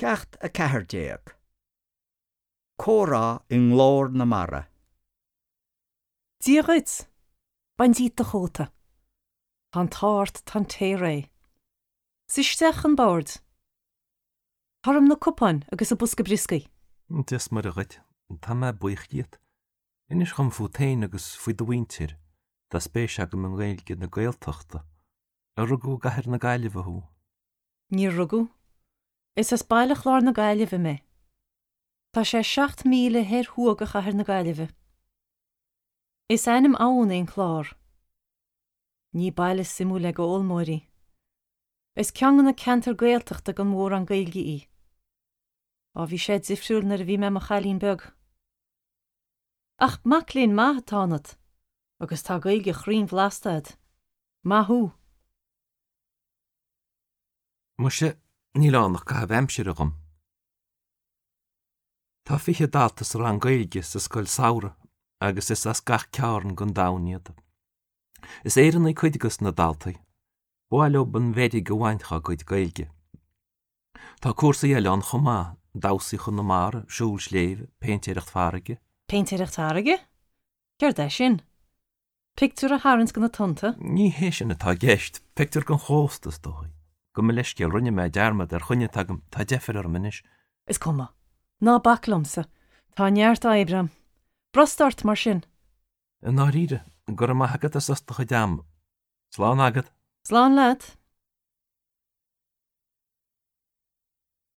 Ceacht 14. Comhrá i nGlór na Mara. Dia dhuit! Bain díot do chóta. Tá an t-ádh ort, tá an tae réidh. Suigh isteach chun boird. Tá orm na cupáin agus an bosca brioscaí. Dia 's Muire dhuit. Tá mé buíoch díot. Inis dhom fút féin agus faoi do mhuintir. Tá spéis agam i nGaeilge na Gaeltachta. Ar rugadh i gcathair na Gaillimhe thú? Níor rugadh. Is as Baile Chláir na Gaillimhe mé. Tá sé 7 míle thoir thuaidh de chathair na Gaillimhe. Is ainm abhann é an Clár. Ní baile suimiúil é d'fhoghlaimeoirí. Is ceann de na ceantair Gaeltachta gan mórán Gaeilge í. Á bhí sé difriúil nuair a bhí mé i mo chailín beag. Ach mac léinn maith atá ionat agus tá Gaeilge chruinn bhlasta agat. Maith thú! Muise, níl ann ach caitheamh aimsire dhom. Tá 20 dalta sa rang Gaeilge sa scoil samhraidh agus is as gach cearn den domhan iad. Is Éireannaigh cuid de na daltaí. Ba mhaith leo an mheirg a bhaint dá gcuid Gaeilge. Tá cúrsaí eile ann chomh maith, damhsaí Chonamara, siúl sléibhe, péintéireacht farraige. Péintéireacht farraige? Céard é sin? Pictiúr a tharraingt de na tonnta? Ní hé sin atá i gceist. Pictiúr den chósta, is dóigh. Gabh mo leithscéal, rinne mé dearmad ar choinne atá agam, tá deifir orm anois. Is cuma. Ná bac liomsa. Tá neart oibre a'm. Brostaigh ort, mar sin. I ndáiríre, go raibh maith agat as ucht do chuid ama. Slán agat. Slán leat.